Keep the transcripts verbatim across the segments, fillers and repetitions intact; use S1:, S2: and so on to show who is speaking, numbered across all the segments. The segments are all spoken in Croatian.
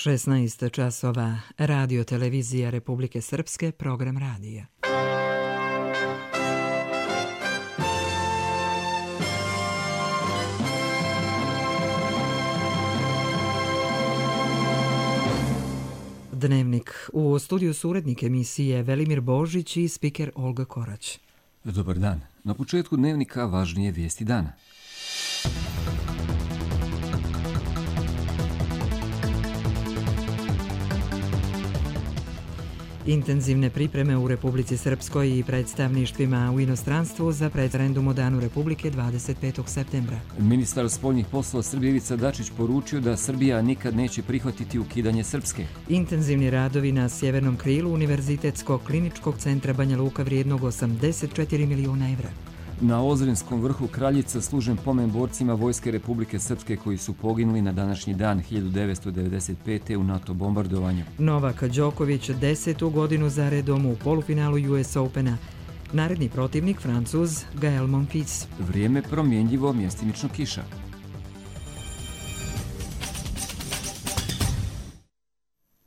S1: šesnaest časova, Radio televizija Republike Srpske, program radija. Dnevnik. U studiju su urednik emisije Velimir Božić i spiker Olga Korać.
S2: Dobar dan. Na početku dnevnika važnije vijesti dana.
S1: Intenzivne pripreme u Republici Srpskoj i predstavništvima u inostranstvu za referendum o Danu Republike dvadeset petog septembra.
S2: Ministar spoljnih poslova Srbije Ivica Dačić poručio da Srbija nikad neće prihvatiti ukidanje Srpske.
S1: Intenzivni radovi na sjevernom krilu Univerzitetskog kliničkog centra Banja Luka vrijednog osamdeset četiri miliona evra.
S2: Na Ozrenskom vrhu Kraljica služen pomen borcima Vojske Republike Srpske koji su poginuli na današnji dan hiljadu devetsto devedeset pete. u NATO bombardovanju.
S1: Novak Đoković desetu godinu za redom u polufinalu U S Opena. Naredni protivnik Francuz Gael Monfils.
S2: Vrijeme promjenjivo, mjestimično kiša.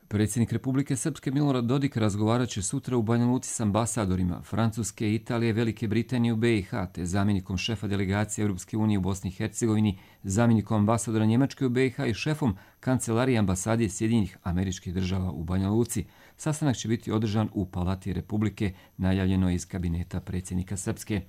S2: Predsjednik Republike Srpske Milorad Dodik razgovarat će sutra u Banja Luci s ambasadorima Francuske, Italije, Velike Britanije u B i H, te zamjenikom šefa delegacije Europske unije u Bosni i Hercegovini, zamjenikom ambasadora Njemačke u B i H i šefom kancelarije ambasade Sjedinjenih Američkih Država u Banja Luci. Sastanak će biti održan u Palati Republike, najavljeno iz kabineta predsjednika Srpske.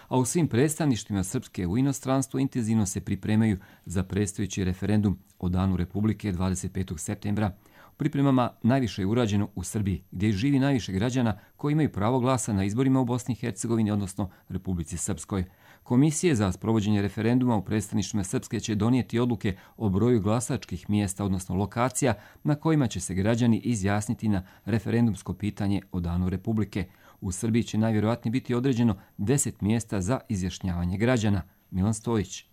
S2: A u svim predstavništvima Srpske u inostranstvu intenzivno se pripremaju za predstojeći referendum o Danu Republike dvadeset petog septembra. Pripremama najviše je urađeno u Srbiji, gdje živi najviše građana koji imaju pravo glasa na izborima u Bosni i Hercegovini, odnosno Republici Srpskoj. Komisije za sprovođenje referenduma u predstavništvima Srpske će donijeti odluke o broju glasačkih mjesta, odnosno lokacija, na kojima će se građani izjasniti na referendumsko pitanje o Danu Republike. U Srbiji će najvjerojatnije biti određeno deset mjesta za izjašnjavanje građana. Milan Stojić.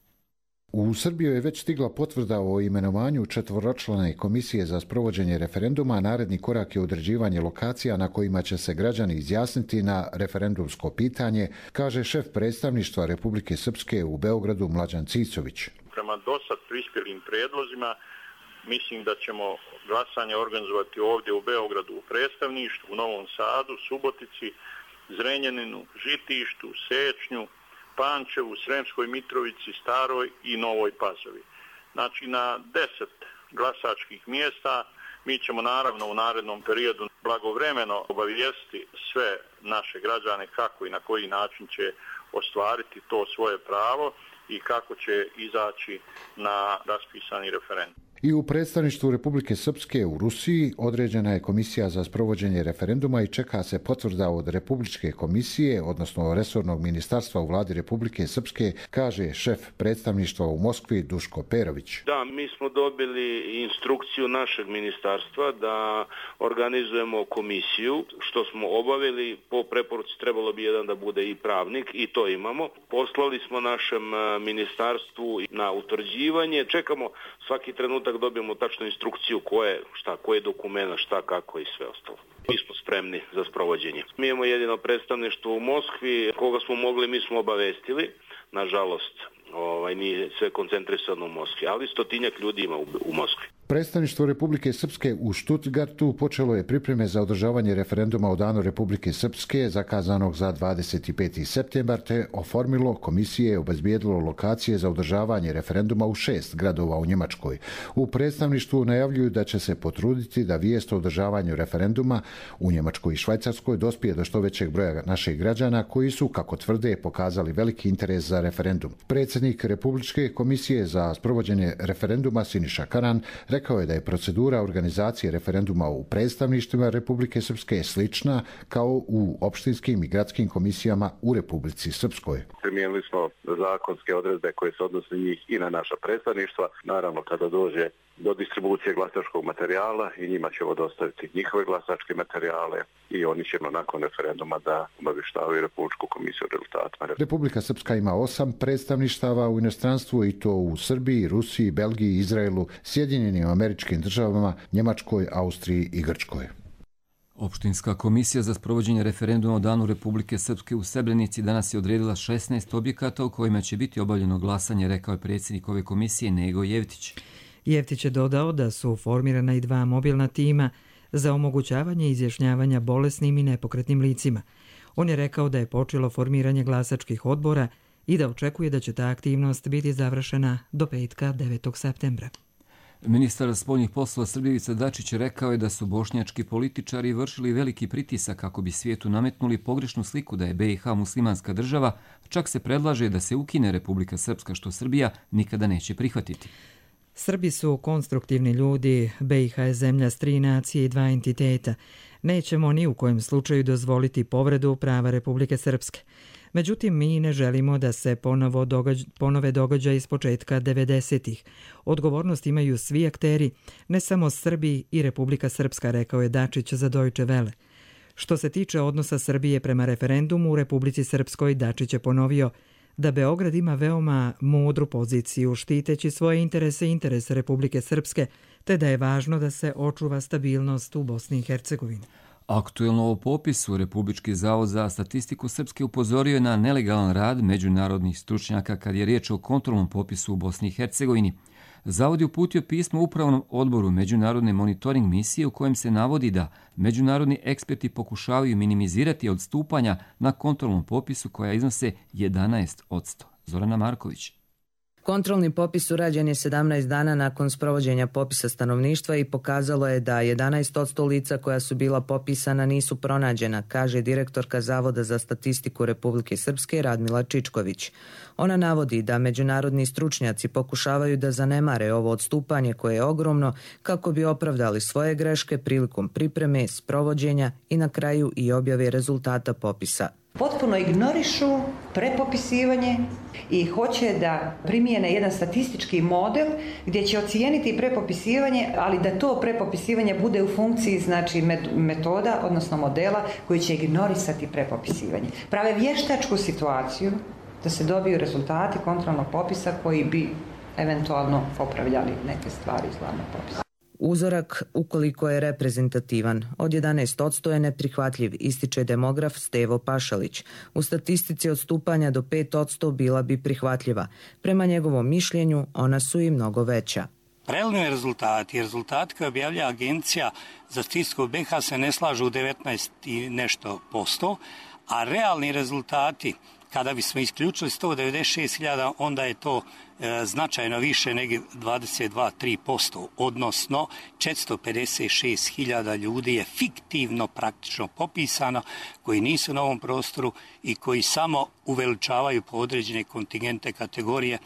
S3: U Srbiju je već stigla potvrda o imenovanju četvoročlane komisije za sprovođenje referenduma. Naredni korak je određivanje lokacija na kojima će se građani izjasniti na referendumsko pitanje, kaže šef predstavništva Republike Srpske u Beogradu Mlađan Cicović.
S4: Prema dosad prispjelim predlozima, mislim da ćemo glasanje organizovati ovdje u Beogradu u predstavništvu, u Novom Sadu, Subotici, Zrenjaninu, Žitištu, Sečnju, Pančevu, Sremskoj Mitrovici, Staroj i Novoj Pazovi. Znači na deset glasačkih mjesta mi ćemo naravno u narednom periodu blagovremeno obavijestiti sve naše građane kako i na koji način će ostvariti to svoje pravo i kako će izaći na raspisani referendum.
S3: I u predstavništvu Republike Srpske u Rusiji određena je komisija za sprovođenje referenduma i čeka se potvrda od Republičke komisije, odnosno resornog ministarstva u vladi Republike Srpske, kaže šef predstavništva u Moskvi Duško Perović.
S5: Da, mi smo dobili instrukciju našeg ministarstva da organizujemo komisiju, što smo obavili. Po preporuci trebalo bi jedan da bude i pravnik i to imamo. Poslali smo našem ministarstvu na utvrđivanje. Čekamo svaki trenutak dobijemo tačnu instrukciju koje, šta, koje dokumenta, šta, kako i sve ostalo. Mi smo spremni za sprovođenje. Mi imamo jedino predstavništvo u Moskvi, koga smo mogli, mi smo obavestili. Nažalost, ovaj, nije sve koncentrisano u Moskvi, ali stotinjak ljudi ima u, u Moskvi.
S3: Predstavništvo Republike Srpske u Stuttgartu počelo je pripreme za održavanje referenduma o Danu Republike Srpske zakazanog za dvadeset peti septembar, te oformilo komisije i obezbijedilo lokacije za održavanje referenduma u šest gradova u Njemačkoj. U predstavništvu najavljuju da će se potruditi da vijest o održavanju referenduma u Njemačkoj i Švajcarskoj dospije do što većeg broja naših građana koji su, kako tvrde, pokazali veliki interes za referendum. Predsjednik Republičke komisije za sprovođenje referenduma Siniša Karan rekao je da je procedura organizacije referenduma u predstavništvima Republike Srpske slična kao u opštinskim i gradskim komisijama u Republici Srpskoj.
S6: Primijenili smo zakonske odredbe koje se odnose njih i na naša predstavništva. Naravno, kada dođe do distribucije glasačkog materijala i njima ćemo dostaviti njihove glasačke materijale i oni ćemo nakon referenduma da obavještavaju Republičku komisiju o rezultatima.
S3: Republika Srpska ima osam predstavništava u inostranstvu i to u Srbiji, Rusiji, Belgiji, Izraelu, Sjedinjenim Američkim Državama, Njemačkoj, Austriji i Grčkoj.
S2: Opštinska komisija za sprovođenje referenduma o Danu Republike Srpske u Srebrenici danas je odredila šesnaest objekata u kojima će biti obavljeno glasanje, rekao je predsjednik ove komisije Nego Jevtić.
S1: Jeftić je dodao da su formirana i dva mobilna tima za omogućavanje izjašnjavanja bolesnim i nepokretnim licima. On je rekao da je počelo formiranje glasačkih odbora i da očekuje da će ta aktivnost biti završena do petka devetog septembra.
S2: Ministar spoljnih poslova Srbije Ivica Dačić rekao je da su bošnjački političari vršili veliki pritisak kako bi svijetu nametnuli pogrešnu sliku da je B i H muslimanska država, čak se predlaže da se ukine Republika Srpska, što Srbija nikada neće prihvatiti.
S1: Srbi su konstruktivni ljudi, B i H je zemlja s tri nacije i dva entiteta. Nećemo ni u kojem slučaju dozvoliti povredu prava Republike Srpske. Međutim, mi ne želimo da se ponovo događ, ponove događaji iz početka devedesetih. Odgovornost imaju svi akteri, ne samo Srbi i Republika Srpska, rekao je Dačić za Deutsche Welle. Što se tiče odnosa Srbije prema referendumu u Republici Srpskoj, Dačić je ponovio da Beograd ima veoma mudru poziciju štiteći svoje interese i interese Republike Srpske, te da je važno da se očuva stabilnost u Bosni i Hercegovini.
S2: Aktuelno o popisu Republički zavod za statistiku Srpske upozorio je na nelegalan rad međunarodnih stručnjaka kad je riječ o kontrolnom popisu u Bosni i Hercegovini. Zavod je uputio pismo Upravnom odboru Međunarodne monitoring misije u kojem se navodi da međunarodni eksperti pokušavaju minimizirati odstupanja na kontrolnom popisu koja iznose jedanaest posto. Zorana Marković.
S7: Kontrolni popis urađen je sedamnaest dana nakon sprovođenja popisa stanovništva i pokazalo je da jedanaest posto lica koja su bila popisana nisu pronađena, kaže direktorka Zavoda za statistiku Republike Srpske Radmila Čičković. Ona navodi da međunarodni stručnjaci pokušavaju da zanemare ovo odstupanje koje je ogromno kako bi opravdali svoje greške prilikom pripreme, sprovođenja i na kraju i objave rezultata popisa.
S8: Potpuno ignorišu prepopisivanje i hoće da primijene jedan statistički model gdje će ocijeniti prepopisivanje, ali da to prepopisivanje bude u funkciji znači metoda, odnosno modela koji će ignorisati prepopisivanje. Prave vještačku situaciju da se dobiju rezultati kontrolnog popisa koji bi eventualno popravljali neke stvari iz glavnog popisa.
S7: Uzorak, ukoliko je reprezentativan, od jedanaest posto je neprihvatljiv, ističe demograf Stevo Pašalić. U statistici odstupanja do pet posto bila bi prihvatljiva. Prema njegovom mišljenju, ona su i mnogo veća.
S9: Preliminarni rezultati i rezultati koje objavlja Agencija za statistiku B i H se ne slažu u devetnaest i nešto posto, a realni rezultati, kada bismo isključili sto devedeset šest hiljada, onda je to e, značajno više nego dvadeset dva zarez tri posto, odnosno četiristo pedeset šest hiljada ljudi je fiktivno praktično popisano, koji nisu na ovom prostoru i koji samo uveličavaju po određene kontingente kategorije,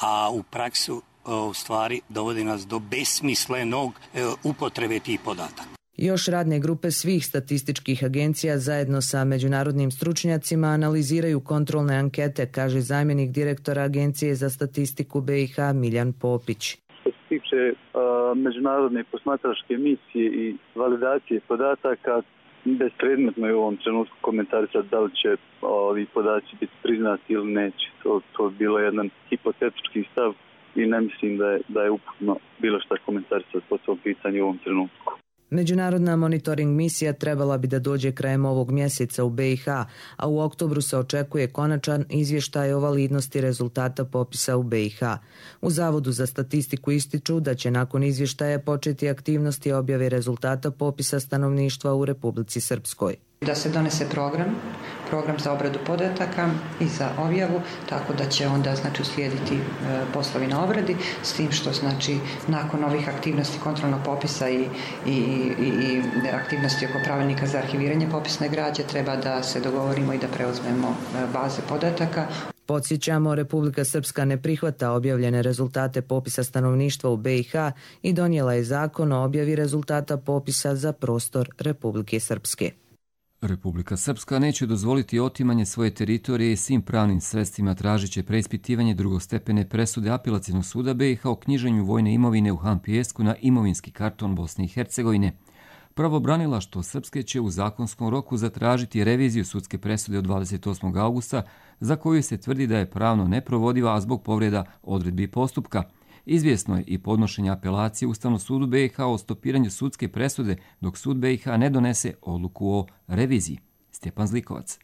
S9: a u praksu e, u stvari dovodi nas do besmislenog e, upotrebe tih podataka.
S7: Još radne grupe svih statističkih agencija zajedno sa međunarodnim stručnjacima analiziraju kontrolne ankete, kaže zamjenik direktora Agencije za statistiku B i H Miljan Popić.
S10: Što se tiče a, međunarodne posmatračke misije i validacije podataka, bespredmetno je u ovom trenutku komentarisati da li će ovi podaci biti priznati ili neće. To, to je bilo jedan hipotetički stav i ne mislim da je, da je uputno bilo šta komentarisati po tom pitanju u ovom trenutku.
S7: Međunarodna monitoring misija trebala bi da dođe krajem ovog mjeseca u B i H, a u oktobru se očekuje konačan izvještaj o validnosti rezultata popisa u B i H. U Zavodu za statistiku ističu da će nakon izvještaja početi aktivnosti objave rezultata popisa stanovništva u Republici Srpskoj.
S8: Da se donese program, program za obradu podataka i za objavu, tako da će onda znači uslijediti e, poslovi na obradi, s tim što znači nakon ovih aktivnosti kontrolnog popisa i, i, i, i aktivnosti oko pravilnika za arhiviranje popisne građe treba da se dogovorimo i da preuzmemo e, baze podataka.
S7: Podsjećamo, Republika Srpska ne prihvata objavljene rezultate popisa stanovništva u B i H i donijela je zakon o objavi rezultata popisa za prostor Republike Srpske.
S2: Republika Srpska neće dozvoliti otimanje svoje teritorije i svim pravnim sredstvima tražit će preispitivanje drugostepene presude Apelacionog suda B i H o knjiženju vojne imovine u Han Pijesku na imovinski karton Bosne i Hercegovine. Pravobranilaštvo Srpske će u zakonskom roku zatražiti reviziju sudske presude od dvadeset osmog augusta za koju se tvrdi da je pravno neprovodiva, a zbog povreda odredbi postupka. Izvjesno je i podnošenje apelacije Ustavnom sudu B i H o stopiranju sudske presude dok sud B i H ne donese odluku o reviziji. Stjepan Zlikovac.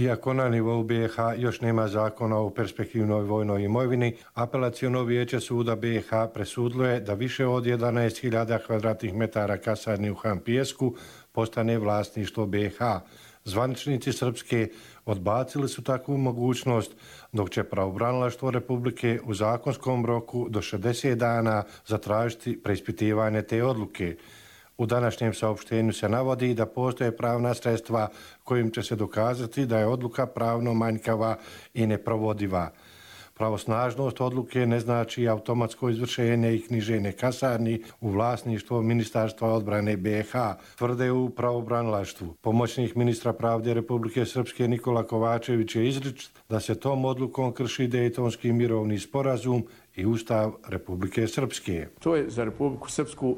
S11: Iako na nivou B i H još nema zakona o perspektivnoj vojnoj imovini, apelaciono vijeće suda B i H presudilo je da više od jedanaest hiljada kvadratnih metara kasarni u Han Pijesku postane vlasništvo B i H. Zvaničnici Srpske odbacili su takvu mogućnost, dok će pravobranilaštvo Republike u zakonskom roku do šezdeset dana zatražiti preispitivanje te odluke. U današnjem saopštenju se navodi da postoje pravna sredstva kojim će se dokazati da je odluka pravno manjkava i neprovodiva. Pravosnažnost odluke ne znači automatsko izvršenje i knjiženje kasarni u vlasništvo Ministarstva odbrane B i H, tvrde u pravobranilaštvu. Pomoćnik ministra pravde Republike Srpske Nikola Kovačević je izričit da se tom odlukom krši Dejtonski mirovni sporazum i Ustav Republike Srpske.
S12: To je za Republiku Srpsku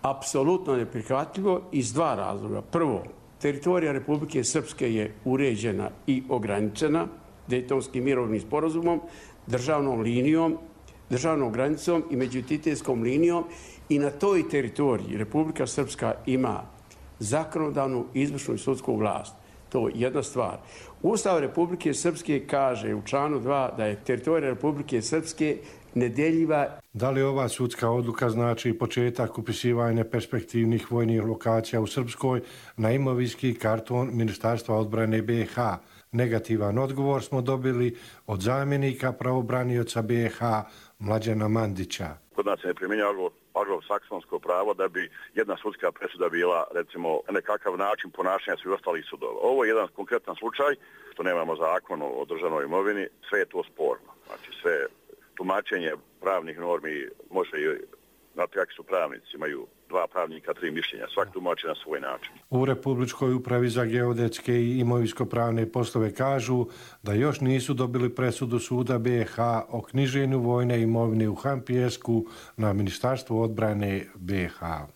S12: apsolutno neprihvatljivo iz dva razloga. Prvo, teritorija Republike Srpske je uređena i ograničena Dejtonskim mirovnim sporazumom, državnom linijom, državnom granicom i međuentitetskom linijom i na toj teritoriji Republika Srpska ima zakonodavnu, izvršnu i sudsku vlast. To je jedna stvar. Ustav Republike Srpske kaže u članu dva da je teritorija Republike Srpske nedeljiva.
S11: Da li ova sudska odluka znači početak upisivanja perspektivnih vojnih lokacija u Srpskoj na imovinski karton Ministarstva odbrane B i H? Negativan odgovor smo dobili od zamjenika pravobranioca B i H Mlađana Mandića.
S6: Kod nas se ne primjenjuje anglosaksonsko pravo da bi jedna sudska presuda bila, recimo, nekakav način ponašanja svih ostalih sudova. Ovo je jedan konkretan slučaj, što nemamo zakon o državnoj imovini, sve je to sporno. Znači sve tumačenje pravnih normi može i, znate kakvi su pravnici, imaju dva pravnika, tri mišljenja, svak tumači na svoj način.
S11: U Republičkoj upravi za geodetske i imovinsko-pravne poslove kažu da još nisu dobili presudu suda B i H o knjiženju vojne imovine u Han Pijesku na Ministarstvo odbrane B i H.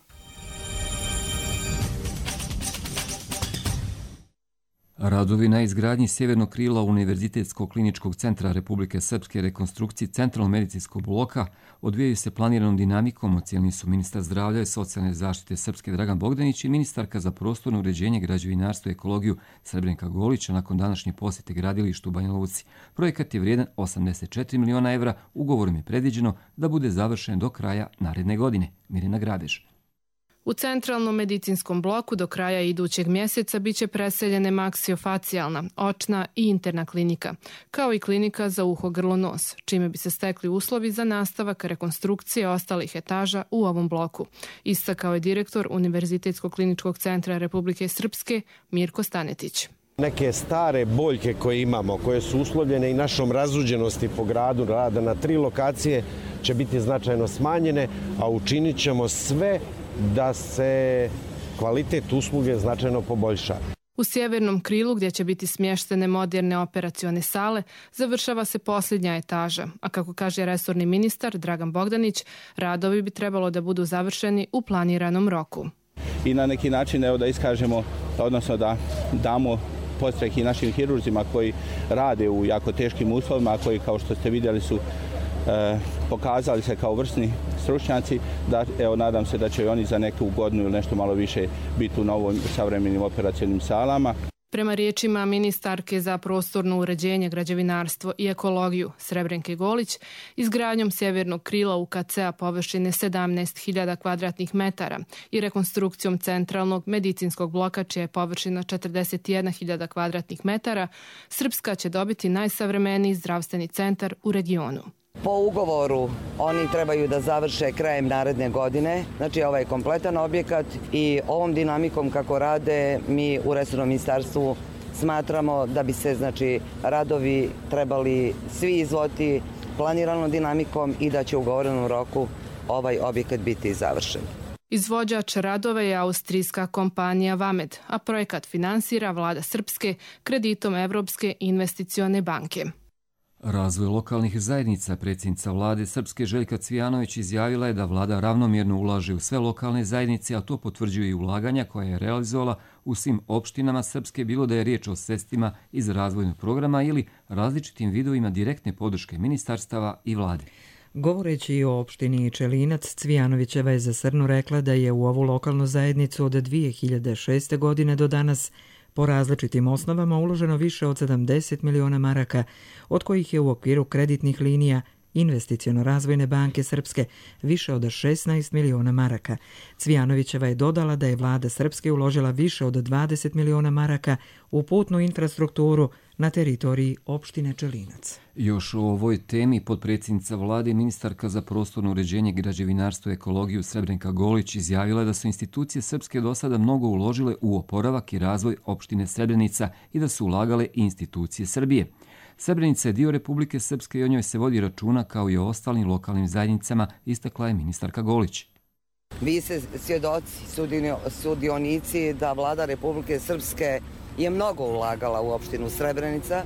S2: Radovi na izgradnji sjevernog krila Univerzitetskog kliničkog centra Republike Srpske rekonstrukciji centralnog medicinskog bloka odvijaju se planiranom dinamikom, ocijenili su ministar zdravlja i socijalne zaštite Srpske Dragan Bogdanić i ministarka za prostorno uređenje, građevinarstvo i ekologiju Srebrenka Golića nakon današnje posjete gradilištu u Banja Luci. Projekat je vrijedan osamdeset četiri miliona evra, ugovorom je predviđeno da bude završen do kraja naredne godine. Mirjana Grabež.
S13: U centralnom medicinskom bloku do kraja idućeg mjeseca biće preseljene maksiofacijalna, očna i interna klinika, kao i klinika za uho, grlo, nos, čime bi se stekli uslovi za nastavak rekonstrukcije ostalih etaža u ovom bloku, istakao je direktor Univerzitetskog kliničkog centra Republike Srpske Mirko Stanetić.
S14: Neke stare boljke koje imamo, koje su uslovljene i našom razuđenosti po gradu rada na tri lokacije, će biti značajno smanjene, a učinit ćemo sve da se kvalitet usluge značajno poboljša.
S13: U sjevernom krilu, gdje će biti smještene moderne operacione sale, završava se posljednja etaža, a kako kaže resorni ministar Dragan Bogdanić, radovi bi trebalo da budu završeni u planiranom roku.
S15: I na neki način evo da iskažemo, odnosno da damo podstrek i našim hirurzima koji rade u jako teškim uslovima, koji kao što ste vidjeli su E, pokazali se kao vrsni stručnjaci, da evo nadam se da će i oni za neku godinu ili nešto malo više biti u novim savremenim operacionim salama.
S13: Prema riječima ministarke za prostorno uređenje, građevinarstvo i ekologiju Srebrenke Golić, izgradnjom sjevernog krila U K C-a površine sedamnaest hiljada kvadratnih metara i rekonstrukcijom centralnog medicinskog bloka čija je površina četrdeset jedna hiljada kvadratnih metara, Srpska će dobiti najsavremeniji zdravstveni centar u regionu.
S16: Po ugovoru oni trebaju da završe krajem naredne godine, znači ovaj kompletan objekat, i ovom dinamikom kako rade mi u resornom ministarstvu smatramo da bi se znači radovi trebali svi izvoditi planiranom dinamikom i da će u ugovorenom roku ovaj objekat biti završen.
S13: Izvođač radova je austrijska kompanija Vamed, a projekat finansira vlada Srpske kreditom Evropske investicione banke.
S2: Razvoj lokalnih zajednica, predsjednica vlade Srpske Željka Cvijanović izjavila je da vlada ravnomjerno ulaže u sve lokalne zajednice, a to potvrđuju i ulaganja koja je realizovala u svim opštinama Srpske, bilo da je riječ o sredstvima iz razvojnog programa ili različitim vidovima direktne podrške ministarstava i vlade.
S1: Govoreći o opštini Čelinac, Cvijanovićeva je za Srnu rekla da je u ovu lokalnu zajednicu od dvije hiljade šeste. godine do danas Po različitim osnovama uloženo više od sedamdeset miliona maraka, od kojih je u okviru kreditnih linija Investiciono-razvojne banke Srpske više od šesnaest miliona maraka. Cvijanovićeva je dodala da je vlada Srpske uložila više od dvadeset miliona maraka u putnu infrastrukturu na teritoriji opštine Čelinac.
S2: Još o ovoj temi potpredsjednica vlade i ministarka za prostorno uređenje, građevinarstvo i ekologiju Srebrenka Golić izjavila da su institucije Srpske do sada mnogo uložile u oporavak i razvoj opštine Srebrenica i da su ulagale i institucije Srbije. Srebrenica je dio Republike Srpske i o njoj se vodi računa kao i o ostalim lokalnim zajednicama, istakla je ministarka Golić.
S16: Vi ste svjedoci, sudionici da vlada Republike Srpske je mnogo ulagala u opštinu Srebrenica.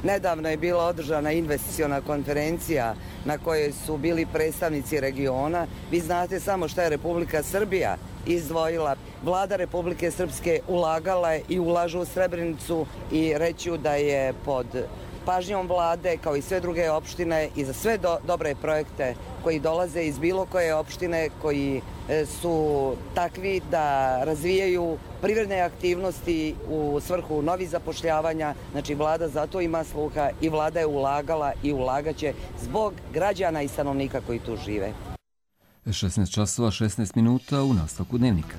S16: Nedavno je bila održana investiciona konferencija na kojoj su bili predstavnici regiona. Vi znate samo šta je Republika Srbija izdvojila. Vlada Republike Srpske ulagala je i ulažu u Srebrenicu i reću da je pod pažnjom vlade, kao i sve druge opštine, i za sve do, dobre projekte koji dolaze iz bilo koje opštine, koji su takvi da razvijaju privredne aktivnosti u svrhu novih zapošljavanja. Znači, vlada zato ima sluha i vlada je ulagala i ulagaće zbog građana i stanovnika koji tu žive.
S2: šesnaest časova šesnaest minuta u nastavku dnevnika.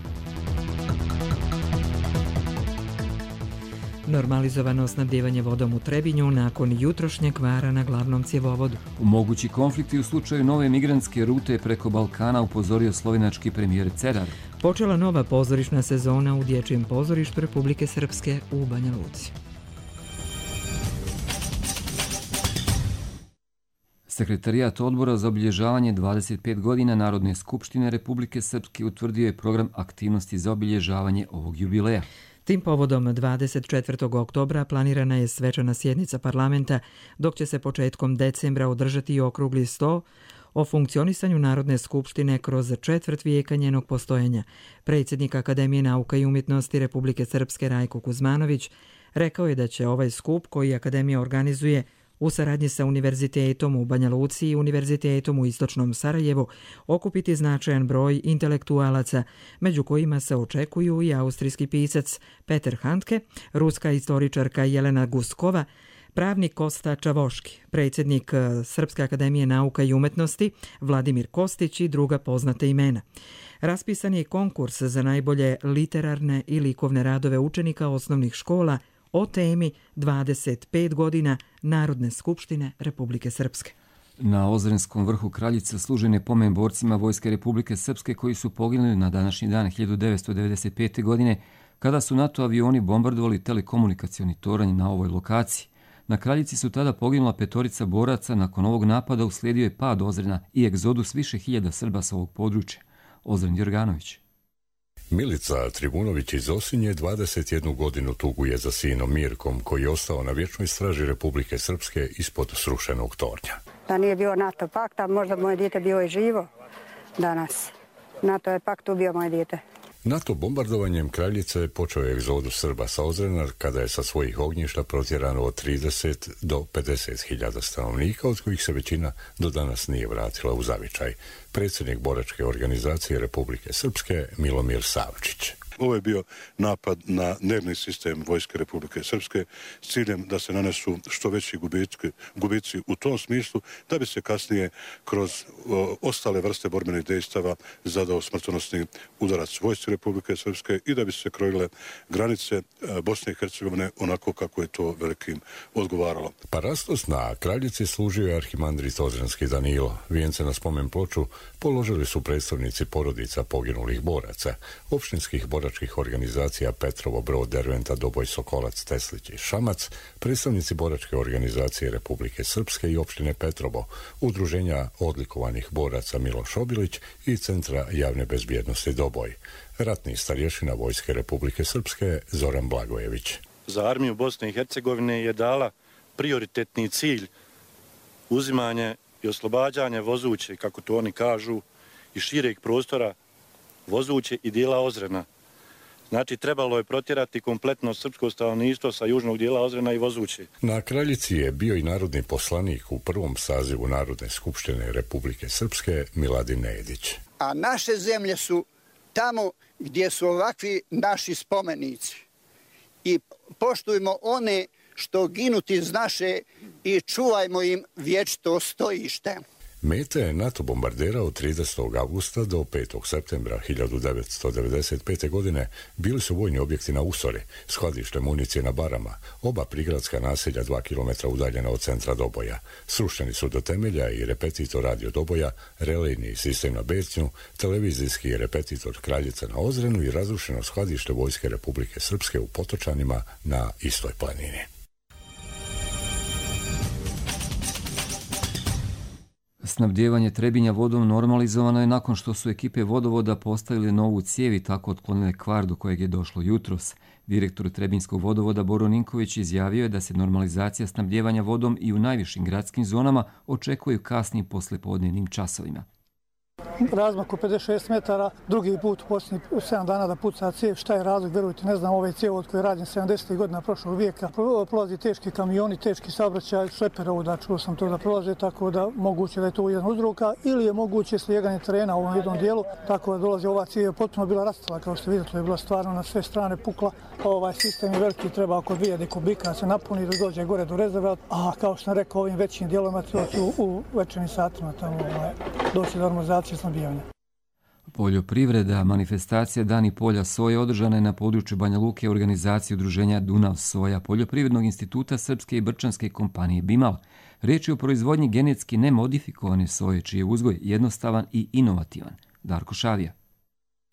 S1: Normalizovano snabdijevanje vodom u Trebinju nakon jutrošnjeg kvara na glavnom cjevovodu.
S2: U mogući konflikti u slučaju nove migrantske rute preko Balkana upozorio slovenački premijer Cerar.
S1: Počela nova pozorišna sezona u Dječjem pozorištu Republike Srpske u Banja Luci.
S2: Sekretarijat odbora za obilježavanje dvadeset pet godina Narodne skupštine Republike Srpske utvrdio je program aktivnosti za obilježavanje ovog jubileja.
S1: Tim povodom dvadeset četvrtog oktobra planirana je svečana sjednica parlamenta, dok će se početkom decembra održati i okrugli sto o funkcionisanju Narodne skupštine kroz četvrt vijeka njenog postojanja. Predsjednik Akademije nauka i umjetnosti Republike Srpske Rajko Kuzmanović rekao je da će ovaj skup koji Akademija organizuje u saradnji sa Univerzitetom u Banja Luci i Univerzitetom u Istočnom Sarajevu okupiti značajan broj intelektualaca, među kojima se očekuju i austrijski pisac Peter Handke, ruska istoričarka Jelena Guskova, pravnik Kosta Čavoški, predsjednik Srpske akademije nauka i umjetnosti Vladimir Kostić i druga poznata imena. Raspisan je konkurs za najbolje literarne i likovne radove učenika osnovnih škola o temi dvadeset pet godina Narodne skupštine Republike Srpske.
S2: Na Ozrenskom vrhu Kraljice služen je pomen borcima Vojske Republike Srpske koji su poginuli na današnji dan hiljadu devetsto devedeset pete. godine kada su NATO avioni bombardovali telekomunikacioni toranj na ovoj lokaciji. Na Kraljici su tada poginula petorica boraca, nakon ovog napada uslijedio je pad Ozrena i egzodus više hiljada Srba sa ovog područja. Ozren Jorganović.
S17: Milica Tribunović iz Osinje dvadeset jednu godinu tuguje za sinom Mirkom, koji je ostao na vječnoj straži Republike Srpske ispod srušenog tornja.
S18: Da nije bio NATO pakta, možda moje dijete bio i živo danas. NATO je pakt ubio moje dijete.
S17: NATO bombardovanjem Kraljice počeo je egzodus Srba sa Ozrena, kada je sa svojih ognjišta protjerano od trideset do pedeset hiljada stanovnika, od kojih se većina do danas nije vratila u zavičaj. Predsjednik boračke organizacije Republike Srpske Milomir Savčić.
S19: Ovo je bio napad na nervni sistem Vojske Republike Srpske s ciljem da se nanesu što veći gubici, gubici u tom smislu, da bi se kasnije kroz o, ostale vrste borbenih dejstava zadao smrtonosni udarac Vojske Republike Srpske i da bi se krojile granice e, Bosne i Hercegovine onako kako je to velikim odgovaralo.
S17: Parastos na Kraljici služio je arhimandrit Ozrenski Danilo. Vijence na spomen ploču položili su predstavnici porodica poginulih boraca, opštinskih boračkih organizacija Petrovo, Brod, Derventa, Doboj, Sokolac, Teslić i Šamac, predstavnici boračke organizacije Republike Srpske i opštine Petrovo, udruženja odlikovanih boraca Miloš Obilić i Centra javne bezbjednosti Doboj, ratni starješina Vojske Republike Srpske Zoran Blagojević.
S20: Za armiju Bosne i Hercegovine je dala prioritetni cilj uzimanje i oslobađanje Vozuće, kako to oni kažu, i šireg prostora Vozuće i dijela Ozrena. Znači, trebalo je protjerati kompletno srpsko stanovništvo sa južnog dijela Ozrena i Vozuće.
S17: Na Kraljici je bio i narodni poslanik u prvom sazivu Narodne skupštine Republike Srpske Miladin Nedić.
S21: A naše zemlje su tamo gdje su ovakvi naši spomenici. i poštujmo one što ginuti iz naše i čuvajmo im vječito stojište.
S17: Mete NATO bombardera od tridesetog avgusta do petog septembra hiljadu devetsto devedeset pete. godine bili su vojni objekti na Usori, skladište municije na Barama, oba prigradska naselja dva kilometra udaljena od centra Doboja. Srušeni su do temelja i repetitor radio Doboja, relejni sistem na Becnju, televizijski repetitor Kraljica na Ozrenu i razrušeno skladište Vojske Republike Srpske u Potočanima na istoj planini.
S2: Snabdijevanje Trebinja vodom normalizovano je nakon što su ekipe vodovoda postavile novu cijev i tako otklonile kvar do kojeg je došlo jutros. Direktor Trebinjskog vodovoda Boro Ninković izjavio je da se normalizacija snabdijevanja vodom i u najvišim gradskim zonama očekuje kasnim poslepodnevnim časovima.
S22: Razmak u pedeset šest metara, drugi put u posljednjih sedam dana da puca cijev. Šta je razlog, verujte, ne znam, ovaj cijev od koje radim sedamdesetih godina prošlog vijeka. Prolazi teški kamioni, teški saobraćaj, šleper ovuda, čuo sam to da prolaze, tako da moguće da je to jedan uzroka ili je moguće slijeganje terena u ovom jednom dijelu, tako da dolazi ova cijev, potpuno bila rastala, kao što vidite, je bila stvarno na sve strane pukla. Ovaj sistem je veliki, treba oko dvije kubika da se napuni da dođe gore do rezerva, a kao što sam rekao, ovim većim dijelovima to će u, u večernim satima tamo ovaj, doći do normalizacije snabdijevanja.
S2: Poljoprivreda, manifestacija Dani polja soje održana je na području Banja Luke organizacije udruženja Dunav soja Poljoprivrednog instituta Srpske i Brčanske kompanije Bimal. Riječ je o proizvodnji genetski nemodifikovane soje, čiji je uzgoj jednostavan i inovativan. Darko Šavija.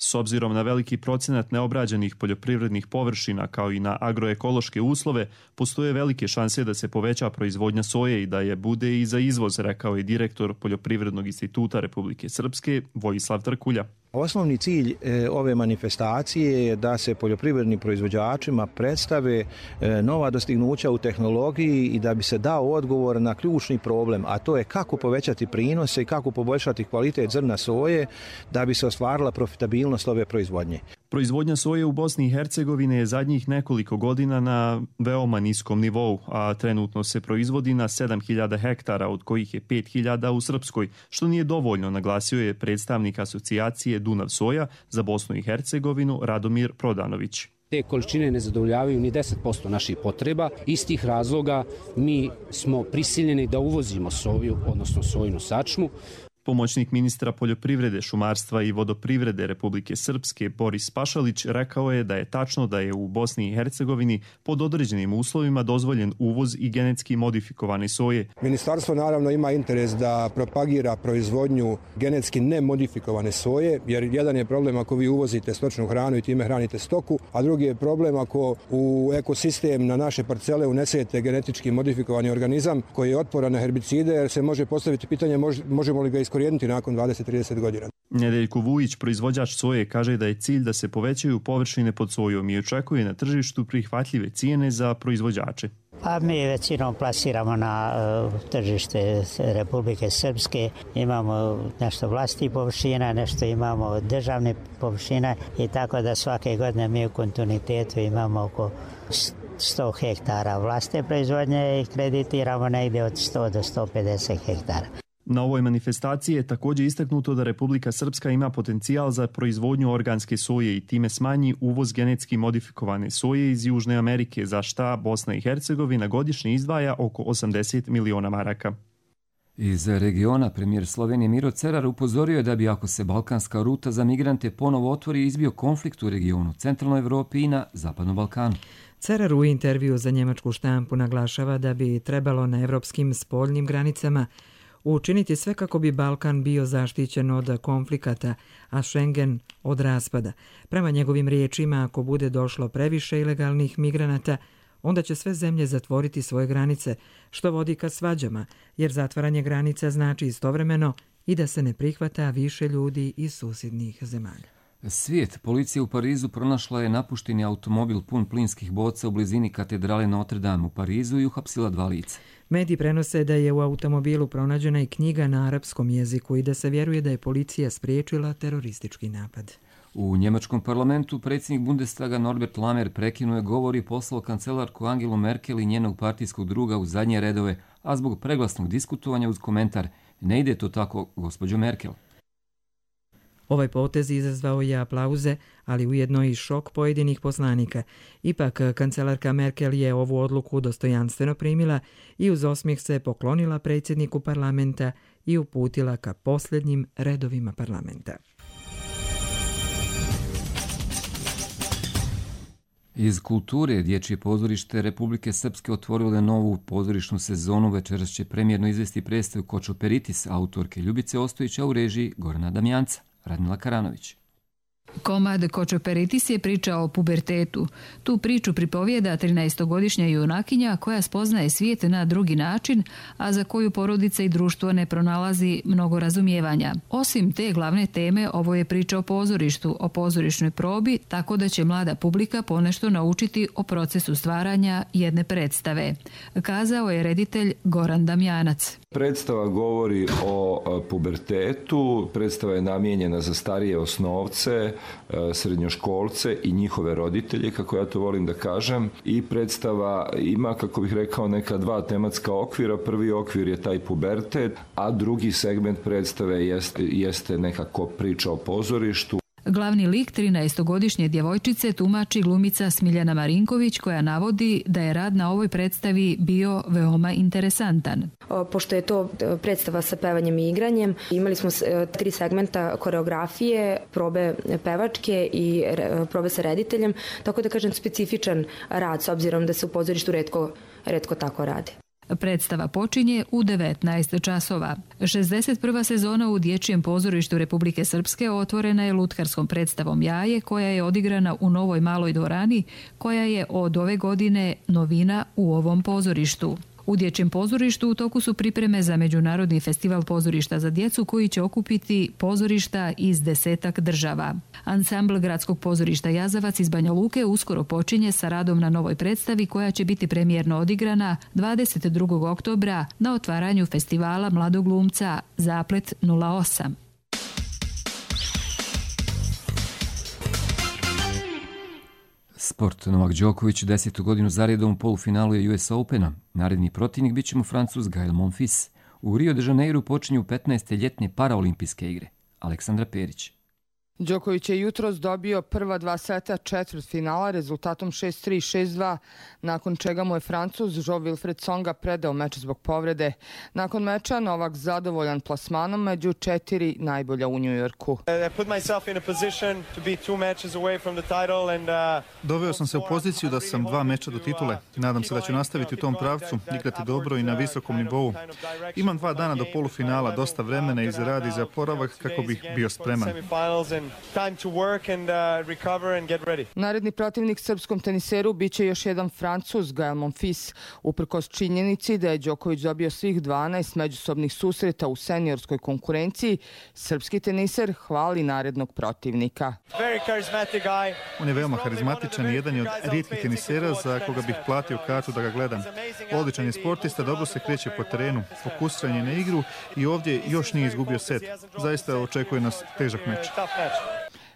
S23: S obzirom na veliki procenat neobrađenih poljoprivrednih površina kao i na agroekološke uslove, postoje velike šanse da se poveća proizvodnja soje i da je bude i za izvoz, rekao je direktor Poljoprivrednog instituta Republike Srpske Vojislav Trkulja.
S24: Osnovni cilj e, ove manifestacije je da se poljoprivrednim proizvođačima predstave e, nova dostignuća u tehnologiji i da bi se dao odgovor na ključni problem, a to je kako povećati prinose i kako poboljšati kvalitet zrna soje da bi se ostvarila profitabilnost ove proizvodnje.
S23: Proizvodnja soje u Bosni i Hercegovini je zadnjih nekoliko godina na veoma niskom nivou, a trenutno se proizvodi na sedam hiljada hektara, od kojih je pet hiljada u Srpskoj, što nije dovoljno, naglasio je predstavnik asocijacije Dunav soja za Bosnu i Hercegovinu Radomir Prodanović.
S25: Te količine ne zadovoljavaju ni deset posto naših potreba. Iz tih razloga mi smo prisiljeni da uvozimo soju, odnosno sojinu sačmu.
S23: Pomoćnik ministra poljoprivrede, šumarstva i vodoprivrede Republike Srpske Boris Pašalić rekao je da je tačno da je u Bosni i Hercegovini pod određenim uslovima dozvoljen uvoz i genetski modifikovane soje.
S26: Ministarstvo naravno ima interes da propagira proizvodnju genetski nemodifikovane soje, jer jedan je problem ako vi uvozite stočnu hranu i time hranite stoku, a drugi je problem ako u ekosistem na naše parcele unesete genetički modifikovani organizam koji je otporan na herbicide, jer se može postaviti pitanje možemo li ga iskoristiti nakon dvadeset do trideset godina.
S23: Nedeljko Vujić, proizvođač soje, kaže da je cilj da se povećaju površine pod sojom i očekuje na tržištu prihvatljive cijene za proizvođače.
S27: Pa mi većinom plasiramo na uh, tržište Republike Srpske. Imamo nešto vlastitih površina, nešto imamo državne površine i tako da svake godine mi u kontinuitetu imamo oko sto hektara vlastne proizvodnje i kreditiramo negdje od sto do sto pedeset hektara.
S23: Na ovoj manifestaciji je također istaknuto da Republika Srpska ima potencijal za proizvodnju organske soje i time smanji uvoz genetski modifikovane soje iz Južne Amerike, za šta Bosna i Hercegovina godišnje izdvaja oko osamdeset miliona maraka.
S2: Iz regiona premijer Slovenije Miro Cerar upozorio je da bi ako se balkanska ruta za migrante ponovo otvori izbio konflikt u regionu, centralnoj Evropi i na Zapadnom Balkanu.
S1: Cerar u intervju za njemačku štampu naglašava da bi trebalo na evropskim spoljnim granicama učiniti sve kako bi Balkan bio zaštićen od konflikata, a Schengen od raspada. Prema njegovim riječima, ako bude došlo previše ilegalnih migranata, onda će sve zemlje zatvoriti svoje granice, što vodi ka svađama, jer zatvaranje granica znači istovremeno i da se ne prihvata više ljudi iz susjednih zemalja.
S2: Svijet. Policija u Parizu pronašla je napušteni automobil pun plinskih boca u blizini katedrale Notre Dame u Parizu i uhapsila dva lica.
S1: Mediji prenose da je u automobilu pronađena i knjiga na arapskom jeziku i da se vjeruje da je policija spriječila teroristički napad.
S2: U njemačkom parlamentu predsjednik Bundestaga Norbert Lammert prekinuo je govor i poslao kancelarku Angelu Merkel i njenog partijskog druga u zadnje redove, a zbog preglasnog diskutovanja uz komentar: "Ne ide to tako, gospođo Merkel."
S1: Ovaj potez izazvao je aplauze, ali ujedno i šok pojedinih poslanika. Ipak, kancelarka Merkel je ovu odluku dostojanstveno primila i uz osmijeh se poklonila predsjedniku parlamenta i uputila ka posljednjim redovima parlamenta.
S2: Iz kulture Dječje pozorište Republike Srpske otvorilo novu pozorišnu sezonu. Večeras će premijerno izvesti predstavu Kočoperitis autorke Ljubice Ostojića u režiji Gorana Damjanca. Radmila Karanović.
S3: Komad Kočoperitis je priča o pubertetu. Tu priču pripovijeda trinaestogodišnja junakinja koja spoznaje svijet na drugi način, a za koju porodica i društvo ne pronalazi mnogo razumijevanja. Osim te glavne teme, ovo je priča o pozorištu, o pozorišnoj probi, tako da će mlada publika ponešto naučiti o procesu stvaranja jedne predstave. Kazao je reditelj Goran Damjanac.
S4: Predstava govori o pubertetu, predstava je namijenjena za starije osnovce, srednjoškolce i njihove roditelje, kako ja to volim da kažem. I predstava ima, kako bih rekao, neka dva tematska okvira. Prvi okvir je taj pubertet, a drugi segment predstave jeste, jeste nekako priča o pozorištu.
S3: Glavni lik trinaestogodišnje djevojčice tumači glumica Smiljana Marinković, koja navodi da je rad na ovoj predstavi bio veoma interesantan.
S5: Pošto je to predstava sa pevanjem i igranjem, imali smo tri segmenta koreografije, probe pevačke i probe sa rediteljem, tako da kažem specifičan rad, s obzirom da se u pozorištu retko, retko tako radi.
S3: Predstava počinje u devetnaest časova. šezdeset prva sezona u Dječjem pozorištu Republike Srpske otvorena je lutkarskom predstavom Jaje, koja je odigrana u Novoj maloj dvorani, koja je od ove godine novina u ovom pozorištu. U Dječjem pozorištu u toku su pripreme za Međunarodni festival pozorišta za djecu, koji će okupiti pozorišta iz desetak država. Ansambl Gradskog pozorišta Jazavac iz Banja Luke uskoro počinje sa radom na novoj predstavi, koja će biti premijerno odigrana dvadeset drugog oktobra na otvaranju festivala mladog glumca Zaplet nula osam.
S2: Sport. Novak Đoković desetu godinu zaredom u polufinalu je U S Opena. Naredni protivnik bit će mu Francuz Gael Monfils. U Rio de Janeiru počinju petnaeste ljetne paraolimpijske igre. Aleksandra Perić.
S7: Đoković je jutros dobio prva dva seta četvrtfinala rezultatom šest tri šest dva, nakon čega mu je Francuz Jean-Wilfried Tsonga predao meč zbog povrede. Nakon meča Novak zadovoljan plasmanom među četiri najbolja u Njujorku.
S8: Doveo sam se u poziciju da sam dva meča do titule. Nadam se da ću nastaviti u tom pravcu, igrati dobro i na visokom nivou. Imam dva dana do polufinala, dosta vremena i za rad i za oporavak kako bih bio spreman.
S7: Time to work and uh, recover and get ready. Naredni protivnik srpskom teniseru biće još jedan Francuz, Gael Monfils. Uprkos činjenici da je Đoković dobio svih dvanaest međusobnih susreta u seniorskoj konkurenciji, srpski teniser hvali narednog protivnika.
S8: On je veoma harizmatičan i jedan je od rijetkih tenisera za koga bih platio kartu da ga gledam. Odličan je sportista, dobro se kreće po terenu, fokusiran je na igru i ovdje još nije izgubio set. Zaista očekuje nas težak meč.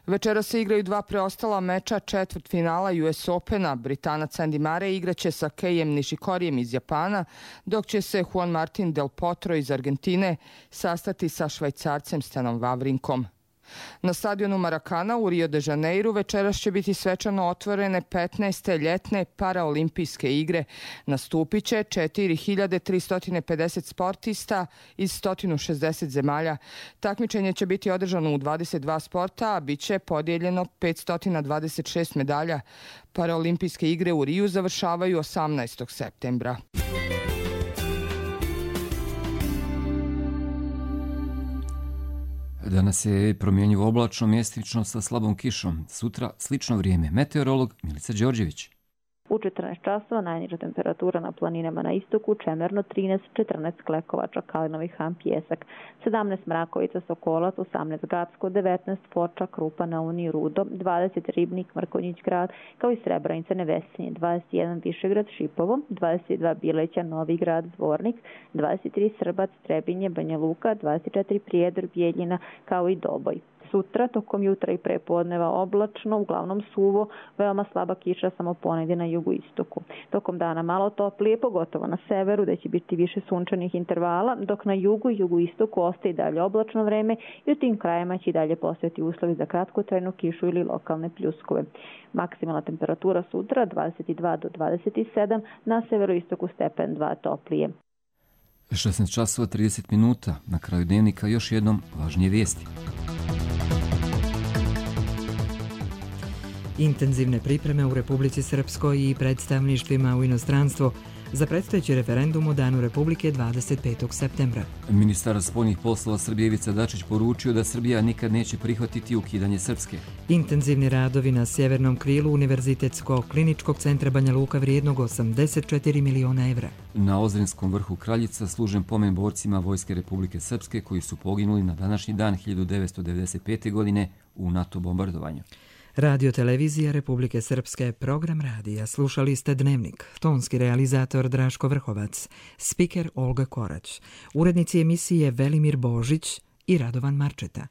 S7: Večera se igraju dva preostala meča četvrtfinala U S Opena. Britanac Andy Murray igraće sa Keijem Nishikorijem iz Japana, dok će se Juan Martin Del Potro iz Argentine sastati sa Švajcarcem Stanom Wawrinkom. Na stadionu Maracana u Rio de Janeiru večeras će biti svečano otvorene petnaeste ljetne paraolimpijske igre. Nastupit će četiri hiljade tristo pedeset sportista iz sto šezdeset zemalja. Takmičenje će biti održano u dvadeset dva sporta, a bit će podijeljeno petsto dvadeset šest medalja. Paraolimpijske igre u Riju završavaju osamnaestog septembra.
S2: Danas je promjenjivo oblačno, mjestimično sa slabom kišom. Sutra slično vrijeme. Meteorolog Milica Đorđević.
S9: U četrnaest časova najniža temperatura na planinama na istoku, Čemerno trinaest, četrnaest Klekovača, Kalinovi Han, Pjesak, sedamnaest Mrakovica, Sokolac, osamnaest Gapsko, devetnaest Foča, Krupa, Nauni, Rudo, dvadeset Ribnik, Mrkonjić grad, kao i Srebrenica, Nevesinje, dvadeset jedan Višegrad, Šipovo, dvadeset dva Bileća, Novi grad, Zvornik, dvadeset tri Srbac, Trebinje, Banja Luka, dvadeset četiri Prijedor, Bijeljina, kao i Doboj. sutra, tokom jutra i prepodneva oblačno, uglavnom suvo, veoma slaba kiša samo ponegdje na jugoistoku. Tokom dana malo toplije, pogotovo na severu, gdje će biti više sunčanih intervala, dok na jugu i jugoistoku ostaje dalje oblačno vreme i u tim krajima će i dalje postojati uslovi za kratkotrajnu kišu ili lokalne pljuskove. Maksimalna temperatura sutra dvadeset dva do dvadeset sedam, na severoistoku stepen dva toplije.
S2: šesnaest časova trideset minuta, na kraju dnevnika još jednom važnije vijesti.
S1: Intenzivne pripreme u Republici Srpskoj i predstavništvima u inostranstvo za predstojeći referendum u Danu Republike dvadeset petog septembra.
S2: Ministar spoljnih poslova Srbije Ivica Dačić poručio da Srbija nikad neće prihvatiti ukidanje Srpske.
S1: Intenzivni radovi na sjevernom krilu Univerzitetsko-kliničkog centra Banja Luka vrijednog osamdeset četiri miliona evra.
S2: Na Ozrenskom vrhu Kraljica služen pomen borcima Vojske Republike Srpske koji su poginuli na današnji dan hiljadu devetsto devedeset pete. godine u NATO bombardovanju.
S1: Radio Televizija Republike Srpske, program radija. Slušali ste Dnevnik. Tonski realizator Draško Vrhovac, spiker Olga Korać, urednici emisije Velimir Božić i Radovan Marčeta.